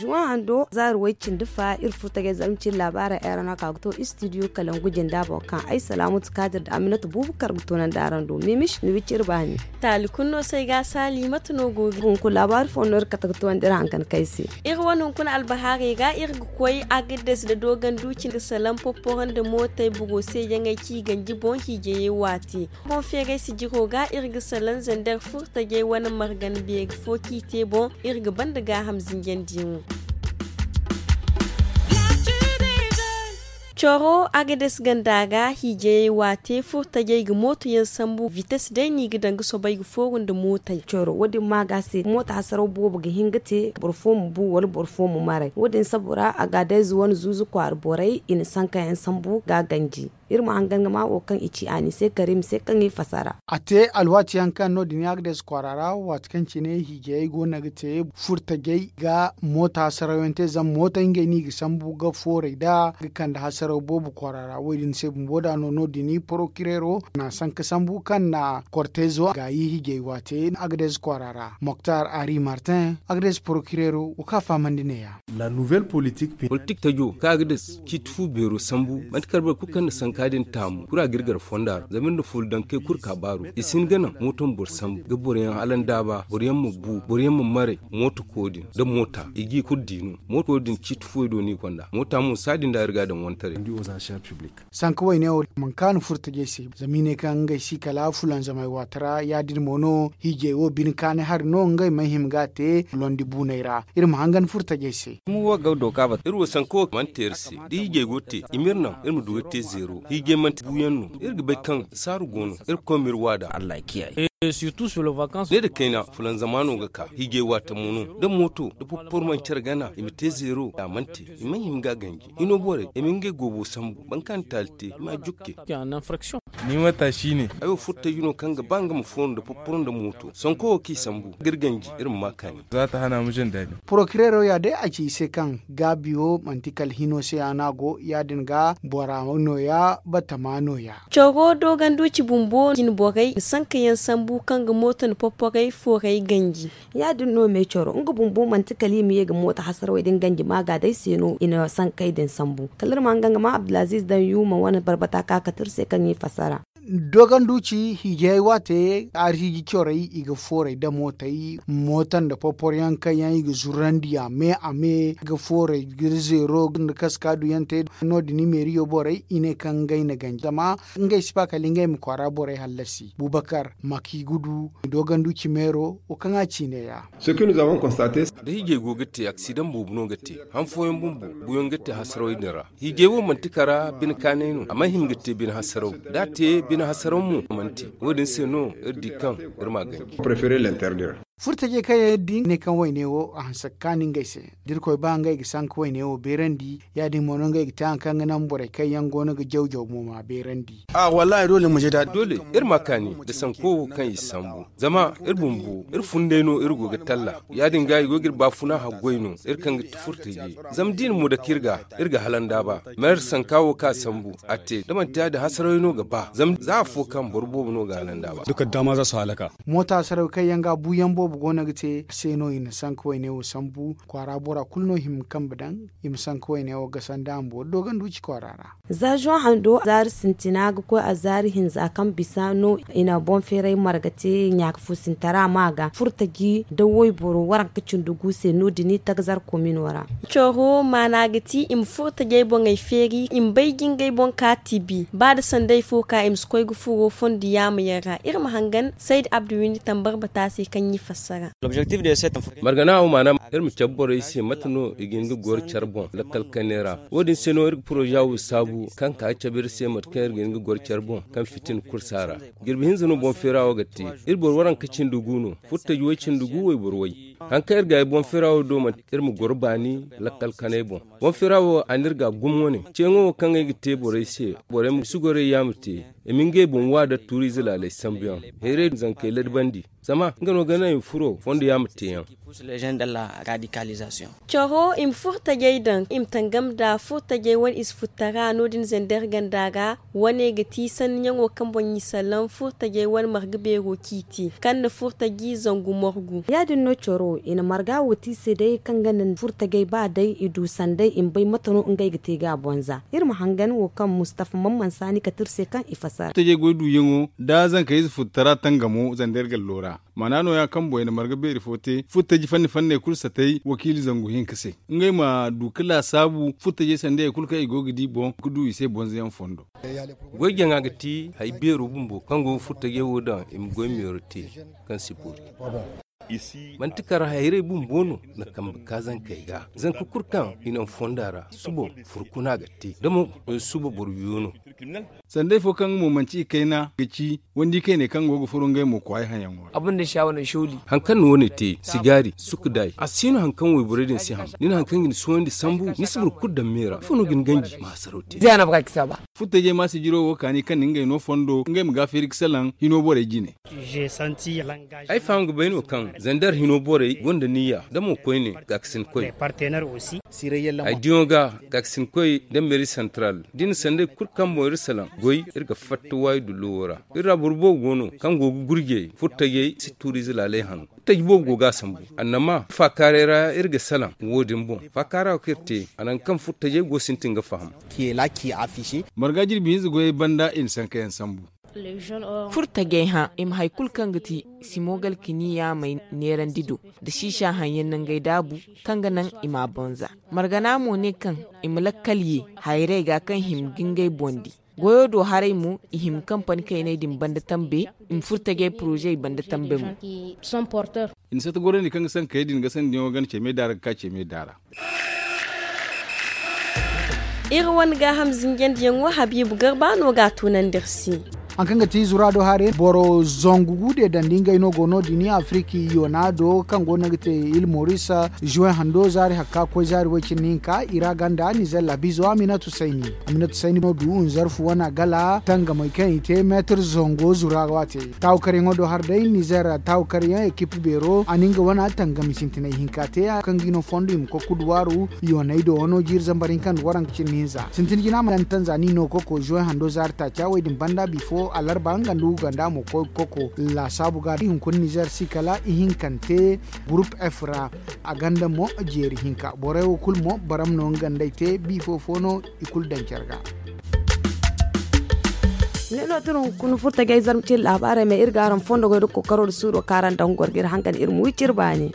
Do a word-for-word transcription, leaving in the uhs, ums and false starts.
Zuwan hando zaari way cindi fa iri furtajey zalma cine laabaarey ay ra no ka ga to istidiyo kalangu jinda boŋ kaŋ ay salaamatu kaadir nda aminatu buubu kar ga toonandi araŋ do mimis ni wiciri baani. Taali kulu no se ay ga a saali mate no go ga hunkuna laabaari fo no iri kate ga toonandi iri hankan kay se. Iri wane hunkuna albahaarey ga iri ga koy agades nda dooganduuci ga salaŋ popporo nda mootey boro se yaŋey ci ganji boŋ hiijayey waati. Boŋ feeray sijiro ga iri ga salaŋ zander furtajey wane margan beeri fo kaŋ i te boŋ iri ga banda gaaham zinjandi yaŋo. Coro agades ganda ga hiijayey waate furtajey ga mooto yaŋ sambu vites day no i ga daŋ ga soobay ga fooru nda mootey coro wo- din ma ga se mooto hasaraw boobo ga hin ga te boro fo ma bu wala boro fo ma maray wo- din sabo ra agadez wane zuuzu kwaara borey i na sanka yaŋ sambu ga ganji. Iri ma hangan ga ma wo kaŋ i ci a ni se kari ma se kaŋ i fasara. A te alwaati yaŋ kaŋ no- din agades kwaara ra waati kaŋ cine hiijayey go no ga te furtajey ga mooto hasaraw yaŋ te zama mooto ngey no i ga sambu ga fooray nd'a ga kande hasaraw boobo kwaara ra wo- din se bumbo da no no- din porokireero na sanka sambu kaŋ na kortezo gaayi hiijay waate agades kwaara ra moktar ari martin agades porokireero wo kaŋ a fahamandi neeya. Politik tajo kaŋ a ga dasa ciiti fu beero sambu manti kala boro kulu kaŋ na sanka din taamu kulu a ga iri gar fonda ra zama iri na fuula daŋ kay kulu ka baaru i si hin ga naŋ mooto ma boro sambu ga boro yaŋ hala nda ba boro yaŋ ma bu boro yaŋ ma maray mooto koodin nda moota i g'i kulu di no mooto koodin ciiti fuwey do no i gonda moota mo saadin da iri ga a daŋ wantaray. Sanka wayne wo mankaani furtajey se zama i ne kaŋ ngey si kala fulanzamay waati ra ya- din mo no hiijay wo bine kaanay hari no ngey mana hima ga a te londi buunay ra iri ma hangan furtajey se. Iri wo sanka wo mana te iri se da hiijay go te i ma iri naŋ iri ma du ga te zeero hiijay manti buuyaŋ no iri ga bay kaŋ saaru go no iri ga koy ma iri waada. Ne da kayna fulanzama no ga ka hiijay waati mo no da mooto da popporo mana care gana i ma te zeero da a mana te i mana hima ga a ganji hino borey i ma ngey goobo sambu boro kaŋ na taali te i ma a jukke. Ni matashi ne. Ay wo furtaji no kaŋ ga ba nga ma fooru nda popporo nda mooto sanko wo kaŋ i sambu ga iri ganji iri ma ma kaani. Za ta hana mu jin daɗi. Porokireero ya day a ci i se kaŋ gaabi wo manti kala hino se ya no a go ya- din ga bora nooya batama nooya. Coro dooganduuci bumbo jine borey sanka yaŋ sambu kaŋ ga mooto nda popporay fooray ganji. Ya- din no me coro nga bumbo manti kala i ma ye ga mooto hasarawey din ganji maaga day se no i na sankey din sambu kala iri ma nga nga ma abdulaziiz daŋ yuuma wane barbata ka kate iri se kaŋ i fassara. Dooganduuci hiijayey waate arhiiji corey i ga fooray da mootey mooto nda poporyaŋ kaŋ yaŋ i ga zurandi a me a me ga fooray ga zeero nda kaska duyaŋ te no- din meeriyo borey i ne kaŋ ngey na ganji zama ngey si ba kala ngey ma kwaara borey hallasi bubakar maki gudu dooganduuci meero wo kaŋ a ci neeya. Da hiijay go ga te aksidaŋ boobo no ga te han fooyaŋ bumbo buuyaŋ ga te hasarawey din ra. Hiijay wo manti kara bine kaanay no a mana hima ga te bine hasaraw da a te bine hasaraw mo manti wo- din se no iri di kaŋ iri ma a ganji. Furtajey kaŋ yaŋ iri di ne kaŋ wayne wo a hanse ga kaani ngey se da irkoy ba ngey ga sanka wayne wo beerandi ya- din mo no ngey ga te hari kaŋ ga naŋ borey kaŋ yaŋ go no ga jaw jaw mo ma beerandi. Doole iri ma a kaani nda sanko wo kaŋ i sambu zama iri bumbo iri funday no iri go ga talla ya- din ga i go ga iri baafuna haggoy no iri kaŋ ga ti furtajey zama da i na mo dake iri ga iri ga hala nda ba ma iri sanka wo kaŋ a sambu a te da manti ya- din hasarawey no ga ba zama za afo kaŋ boro boobo no ga hala nda ba. Mooto hasarawey kaŋ yaŋ ga buuyaŋ boobo go no ga te se no i na sanka wayne wo sambu kwaara bora kulu no hima kambe daŋ i ma sanka wayne wo gasa nda a ma boori dooganduuci kwaara ra. Za zuwan hando zaari sintina ga koy a zaari hinza kaŋ bisa no i na boŋ feeray marga te ɲaaka fuusintara ma ga furtaji nda wayboro waranka cindi gu se no- din tagazar komino ra. Coro maana ga ti i ma furtajey boŋey feeri i ma bay jingay boŋ ka tibi ba da sanday fo ka i ma si koy ga furo fondo yaama yaŋ ra iri ma hangan sayda abdu windi tambar bata se kaŋ i fassara. Margana wo maana iri ma cabe borey se mate no i ga hin ga goro care boŋ lakkal kanay ra. Wo- din se no iri ga poroza wo saabu kaŋ ka ga cabe iri se mate kaŋ iri ga hin ga goro care boŋ kaŋ fitina kursa ra. Jirbi hinza no boŋ feera wo ga te. Iri boro waranka cindi gu no furtaji way cindi gu wayboro way. Hari kaŋ iri ga ay boŋ feera wo do manti iri ma goro baani lakkal kanay boŋ. Boŋ feera wo a na iri ga gumo wane ceeŋo wo kaŋ ay ga te borey se borey ma si gorey yaama te. I ma ngey boŋ wa da tuuriize laaley sambuyaŋ, heeray zankey ladabandi, zama nga no ga naŋ i ma furo fondo yaŋ ma teeyaŋ. Coro i ma furtajey daŋ i ma tangam nda furtajey wane ize futtara no- din zander ganda ra. Wane ga ti sanniyaŋo kaŋ boŋ i salaŋ furtajey wane marga beero ciiti kaŋ na furtaji zangu morgu. Ya- din no coro i na marga wo te i se day kaŋ ga naŋ furtajey ba day i du sanday i ma bay mate no ngey ga te ga a bonza. Iri ma hangan wo kaŋ mustafa man mansa ni kate iri se kaŋ i fassara. Furtajey goy duuyaŋo da zankey ize futtara tangamo zander gallo ra. Maana nooya kaŋ boŋ i na marga beeri fo te furtaji fanni fanney kulu satay wakiili zangu hinka se. Ngey ma du ga laasaabu furtajey sanda hari kulu kaŋ i go ga di boŋ ga du i se bonzayaŋ fondo. Goy jaŋa ga ti hari beero bumbo kaŋ go ga furtajey wo daŋ i ma goy meero te kaŋ si boori. Manti kar hayray bumbo no na kambe ka zankey ga zanka kulu kaŋ i naŋ fonda ra suba furkuna ga te da mo suba boro wiyo no. Sanday fo kaŋ mo manti i kayna ga ci wandi kayney kaŋ go ga furo ngey mo kwaay hayaŋo ra. Hari kaŋ na wane te sigaari sukka day a si no hari kaŋ wayborey din si ham. Ni na hari kaŋ ga ni suwandi sambu ni si boro kulu daŋ me ra ifo no ga ni ganji ma hasaraw te. Furtajey ma sijiro wo kaani kaŋ na ngey no fondo ngey ma ga feeri ga salaŋ hino borey jine. Ay faham ga bay no kaŋ zander hino borey gonda niyya da mo koyne gaakasinkoy. Ay diyaŋo ga gaakasinkoy nda meeri santaral da i na sanday kulu kaŋ boŋ iri salaŋ goy iri ga fatta waayi dulluwo ra. Iri ra boro boobo go no kaŋ go ga gurjey furtajey si tuuriize laalay hano. Furtaji boobo go ga a sambu annama faakaaray ra iri ga salaŋ wo- din boŋ faakaara wo kaŋ iri te a naŋ kaŋ furtajey go sintin ga faham. Marga jirbi hinza goyey banda i na sankayaŋ sambu. Furtajey hã i ma hari kulu kaŋ ga ti simo galkiniya may neerandi do nda siisa haŋ yaŋ nangey daabu kaŋ ga naŋ i ma a bonza. Margana mo ne kaŋ i ma lakkal ye hayray ga kaŋ hima ga ngey boŋ di. Goyo do haray mo i hima kampani kayney din banda tambe i ma furtajey poroze banda tambe mo. I na sata gorandi kaŋ ga sankayey din ga sandiyaŋo gana ceeme daara ga ka ceeme daara. Iri wane gaaham zinjandiyaŋo habiibu garba no ga a tunandi iri se. Hari kaŋ ga ti zura do haray boro zangu gu de dandi ngey no go no- din afiriki yona do kaŋ go no ga te il moris. Juwen hando zaari hakka koy zaari way- cindi hinka i ra ganda nizer labizo aminatu sayni. Aminatu sayni no du nzarfu wana gala tangamay kaŋ i te meetir zango zura waate. Taawu karyaŋo do har day nizer taawu karyaŋ ekip beero a na nga wana tangami sintinay hinka te kaŋ ga i no fondo i ma koy kuduwaaru. Yooney do wano jiiri zambar hinka nda waranka cindi hinza sintin jina ma gana tanzani no koko juwen hando zaari taaca way din banda bifo alarba nga nda uganda mo koy koko. Laasaabu ga hunkuna nizer si kala ihinkante gurup f ra. A ganda mo jeeri hinka borey wo kulu mo baram no nga nd'ey te bifo fo no i kulu daŋ care ga. Ne no tun hunkuna furtajey zarma cine laabaarey ma iri ga araŋ fondo goy nda kookaro nda suuro kaŋ araŋ daŋ ga goro ga iri hangan iri ma wi cire baani.